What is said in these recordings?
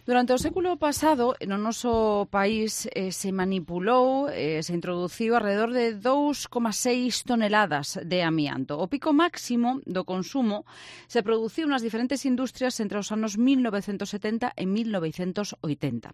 Durante o século pasado, no noso país se manipulou, se introduciu alrededor de 2,6 toneladas de amianto. O pico máximo do consumo se produciu nas diferentes industrias entre os anos 1970 e 1980.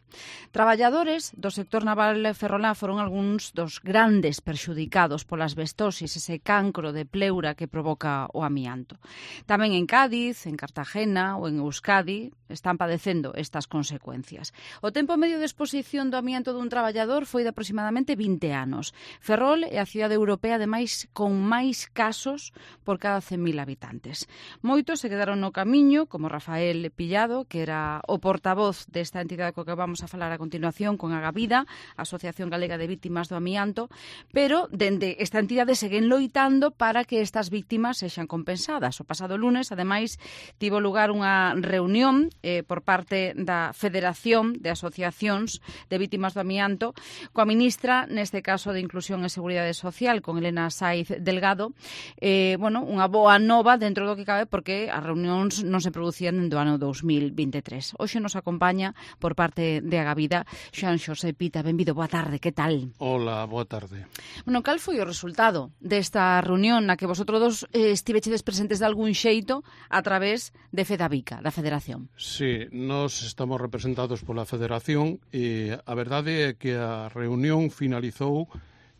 Traballadores do sector naval ferrolá foron algúns dos grandes perxudicados pola asbestosis, ese cancro de pleura que provoca o amianto. Tamén en Cádiz, en Cartagena ou en Euskadi están padecendo estas consecuencias. O tempo medio de exposición do amianto dun traballador foi de aproximadamente 20 anos. Ferrol é a cidade europea ademais con máis casos por cada 100.000 habitantes. Moitos se quedaron no camiño, como Rafael Pillado, que era o portavoz desta entidade co que vamos a falar a continuación, con Agavida, Asociación Galega de Vítimas do Amianto, pero dende esta entidade seguen loitando para que estas vítimas sexan compensadas. O pasado lunes, ademais, tivo lugar unha reunión por parte da Federación de Asociacións de Vítimas do Amianto coa ministra, neste caso de Inclusión e Seguridade Social, con Elena Saiz Delgado. Unha boa nova dentro do que cabe, porque as reunións non se producían do ano 2023. Hoxe nos acompaña por parte de Agavida Xoan Xosé Pita. Benvido, boa tarde, que tal? Hola, boa tarde. Cal foi o resultado desta reunión na que vosotros dos estivechedes presentes de algún xeito a través de Fedavica, da Federación? Sí, nós estamos representados pola Federación e a verdade é que a reunión finalizou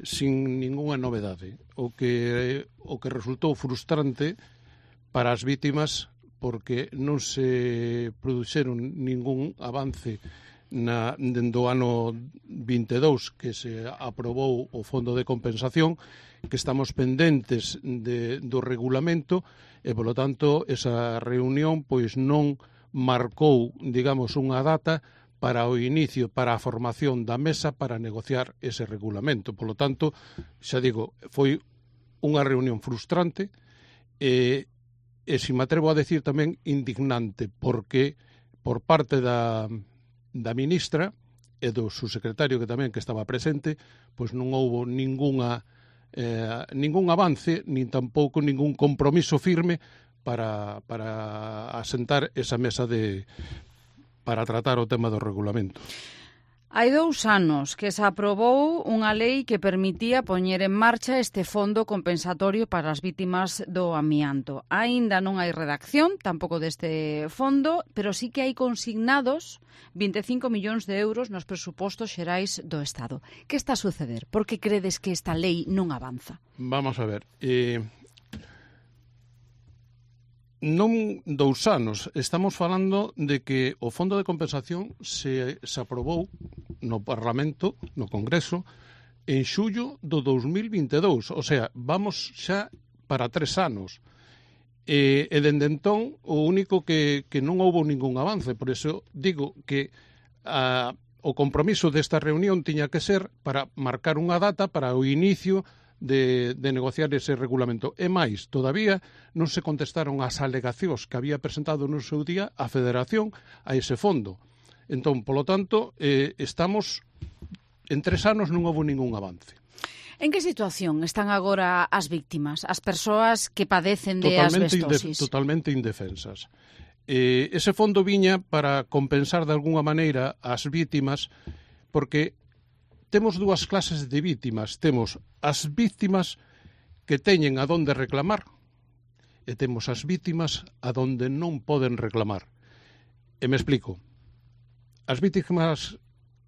sin ningunha novedade, o que resultou frustrante para as vítimas, porque non se produxeron ningún avance dentro do ano 22 que se aprobou o Fondo de Compensación, que estamos pendentes do regulamento e, polo tanto, esa reunión pois non marcou, digamos, unha data para o inicio, para a formación da mesa para negociar ese regulamento. Polo tanto, xa digo, foi unha reunión frustrante e se me atrevo a decir tamén indignante, porque por parte da ministra e do subsecretario que tamén que estaba presente, pois non houbo ningún avance, nin tampouco ningún compromiso firme para asentar esa mesa para tratar o tema do regulamento. Hai 2 anos que se aprobou unha lei que permitía poñer en marcha este fondo compensatorio para as vítimas do amianto. Aínda non hai redacción tampouco deste fondo, pero sí que hai consignados 25 millóns de euros nos presupostos xerais do Estado. Que está a suceder? Por que credes que esta lei non avanza? Vamos a ver. Non 2 anos, estamos falando de que o Fondo de Compensación se aprobou no Parlamento, no Congreso, en xullo do 2022, o sea, vamos xa para 3 anos. E dende entón, o único que non houbo ningún avance, por iso digo que o compromiso desta reunión tiña que ser para marcar unha data para o inicio de negociar ese regulamento. E máis, todavía non se contestaron as alegacións que había presentado no seu día a Federación a ese fondo. Entón, polo tanto, estamos en 3 anos non houve ningún avance. En que situación están agora as víctimas, as persoas que padecen de asbestosis? Totalmente indefensas. Ese fondo viña para compensar de algunha maneira as vítimas, porque temos 2 clases de vítimas. Temos as vítimas que teñen a donde reclamar e temos as vítimas a donde non poden reclamar. E me explico. As vítimas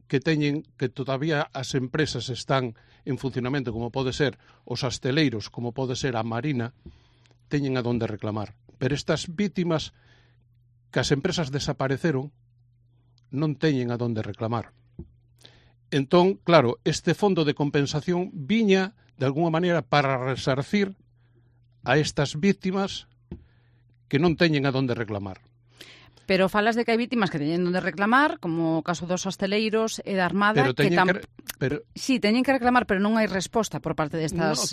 que teñen que todavía as empresas están en funcionamento, como pode ser os asteleiros, como pode ser a Marina, teñen a donde reclamar. Pero estas vítimas que as empresas desapareceron non teñen a donde reclamar. Entón, claro, este fondo de compensación viña, de alguna maneira, para resarcir a estas vítimas que non teñen a donde reclamar. Pero falas de que hai vítimas que teñen onde reclamar, como o caso dos hosteleiros e da Armada, sí, teñen que reclamar, pero non hai resposta por parte destas empresas.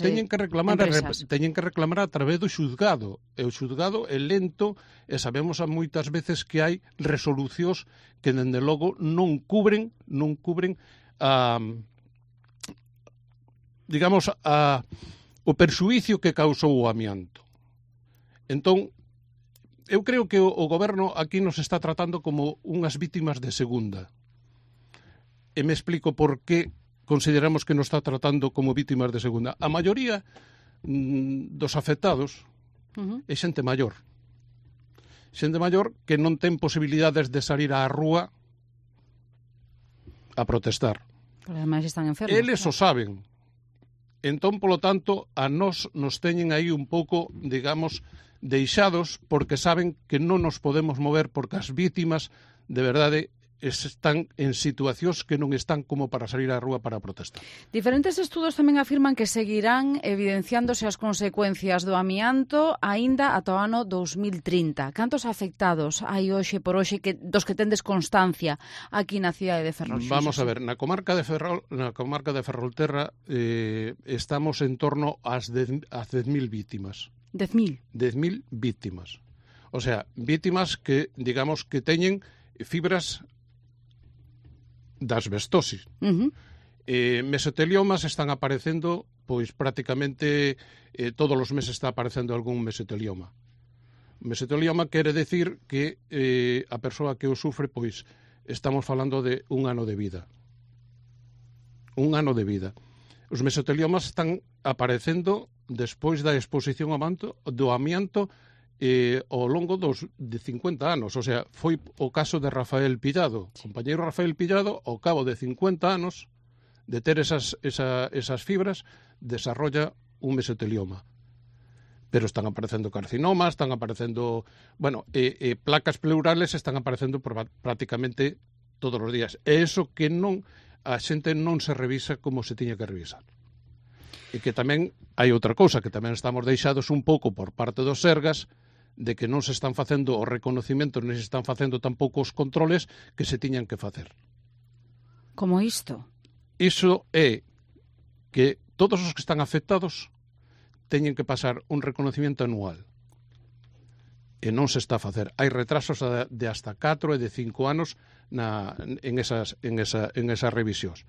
Teñen que reclamar a través do xuzgado. E o xuzgado é lento e sabemos a moitas veces que hai resolucións que, dende logo, non cubren o perxuízo que causou o amianto. Entón, eu creo que o goberno aquí nos está tratando como unhas vítimas de segunda. E me explico por que consideramos que nos está tratando como vítimas de segunda. A maioría dos afectados é xente maior. Xente maior que non ten posibilidades de salir á rúa a protestar. Pero ademais están enfermos. Eles o saben. Entón, polo tanto, a nós nos teñen aí un pouco, digamos, deixados porque saben que non nos podemos mover porque as vítimas, de verdade, están en situacións que non están como para salir á rúa para protestar. Diferentes estudos tamén afirman que seguirán evidenciándose as consecuencias do amianto aínda ata o ano 2030. Cantos afectados hai hoxe por hoxe dos que tendes constancia aquí na cidade de Ferrol? Vamos a ver, na comarca de Ferrolterra estamos en torno ás 10.000 vítimas. 10.000? 10.000 vítimas. O sea, vítimas que, digamos, que teñen fibras da asbestosis. Mesoteliomas están aparecendo, pois prácticamente todos os meses está aparecendo algún mesotelioma. Mesotelioma quere decir que a persoa que o sufre, pois estamos falando de un ano de vida. Un ano de vida. Os mesoteliomas están aparecendo despois da exposición do amianto ao longo de 50 anos. O sea, foi o caso de Rafael Pillado. O compañeiro Rafael Pillado, ao cabo de 50 anos de ter esas fibras, desarrolla un mesotelioma. Pero están aparecendo carcinomas, están aparecendo, placas pleurales están aparecendo prácticamente todos os días. E iso que a xente non se revisa como se tiña que revisar. E que tamén hai outra cousa, que tamén estamos deixados un pouco por parte dos Sergas, de que non se están facendo os reconocimentos, non se están facendo tampouco os controles que se tiñan que facer. Como isto? Iso é que todos os que están afectados teñen que pasar un reconocimiento anual. E non se está a facer. Hai retrasos de hasta 4 e de 5 anos en esas revisións.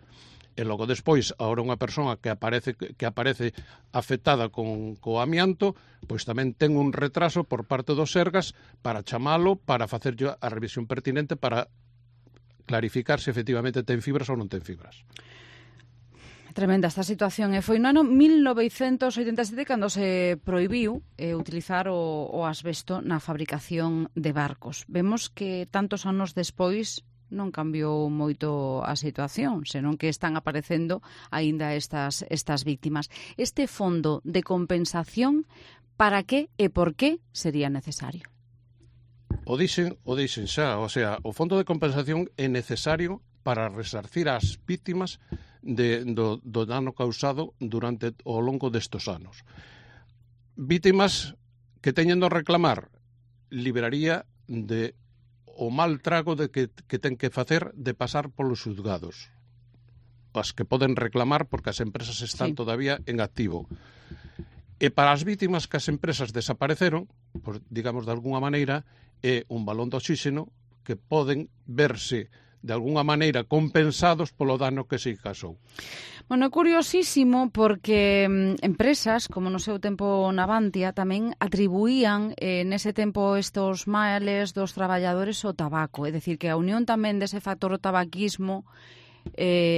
E logo despois, agora unha persoa que aparece afectada co amianto, pois tamén ten un retraso por parte dos Sergas para chamalo, para facer a revisión pertinente, para clarificar se efectivamente ten fibras ou non ten fibras. Tremenda esta situación. Foi no ano 1987 cando se prohibiu utilizar o asbesto na fabricación de barcos. Vemos que tantos anos despois non cambiou moito a situación, senón que están aparecendo aínda estas víctimas. Este fondo de compensación, para que e por que sería necesario? O dixen xa, o sea, o fondo de compensación é necesario para resarcir as vítimas do dano causado durante o longo destes anos. Vítimas que teñendo a reclamar liberaría de o mal trago de que ten que facer de pasar polos xulgados. As que poden reclamar porque as empresas están todavía en activo. E para as vítimas que as empresas desapareceron, pues, digamos de alguna maneira, é un balón de oxígeno que poden verse de alguna maneira compensados polo dano que se causou. Bueno, é curiosísimo porque empresas, como no seu tempo Navantia, tamén atribuían nese tempo estos males dos traballadores ao tabaco. É dicir, que a unión tamén dese factor do tabaquismo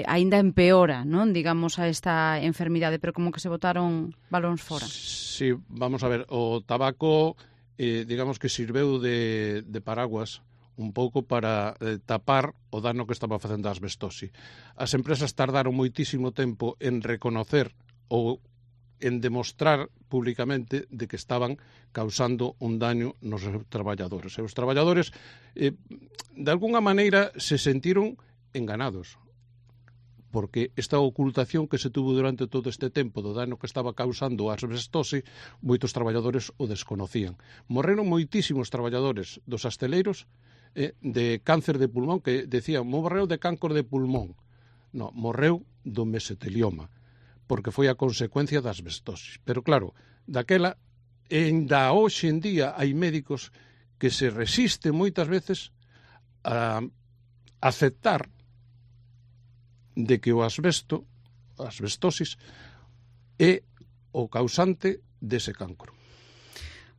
aínda empeora, non? Digamos, a esta enfermidade, pero como que se botaron balóns fora. Sí, vamos a ver, o tabaco, digamos que sirveu de paraguas un pouco para tapar o dano que estaba facendo a asbestose. As empresas tardaron moitísimo tempo en reconocer ou en demostrar públicamente de que estaban causando un daño nos seus traballadores. E os traballadores, de alguna maneira, se sentiron enganados, porque esta ocultación que se tuvo durante todo este tempo do dano que estaba causando a asbestose, moitos traballadores o desconocían. Morreron moitísimos traballadores dos asteleiros de cáncer de pulmón, que decían, morreu de cáncer de pulmón. Non, morreu do mesotelioma, porque foi a consecuencia da asbestosis. Pero claro, daquela, ainda hoxe en día hai médicos que se resisten moitas veces a aceptar de que a asbestosis é o causante dese cancro.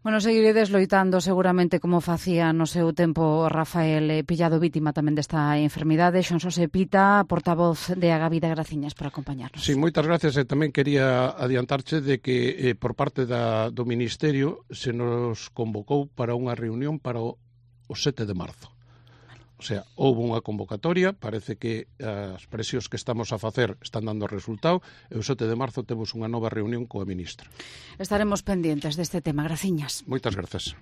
Bueno, seguiredes loitando seguramente como facía no seu tempo Rafael, pillado vítima tamén desta enfermidade. Xonsose Pita, portavoz de Agavida, graciñas por acompañarnos. Sí, moitas gracias. E tamén quería adiantarche de que por parte do Ministerio se nos convocou para unha reunión para o 7 de marzo. O sea, houve unha convocatoria, parece que as presións que estamos a facer están dando resultado, e o 7 de marzo temos unha nova reunión coa ministra. Estaremos pendientes deste tema, graciñas. Moitas grazas.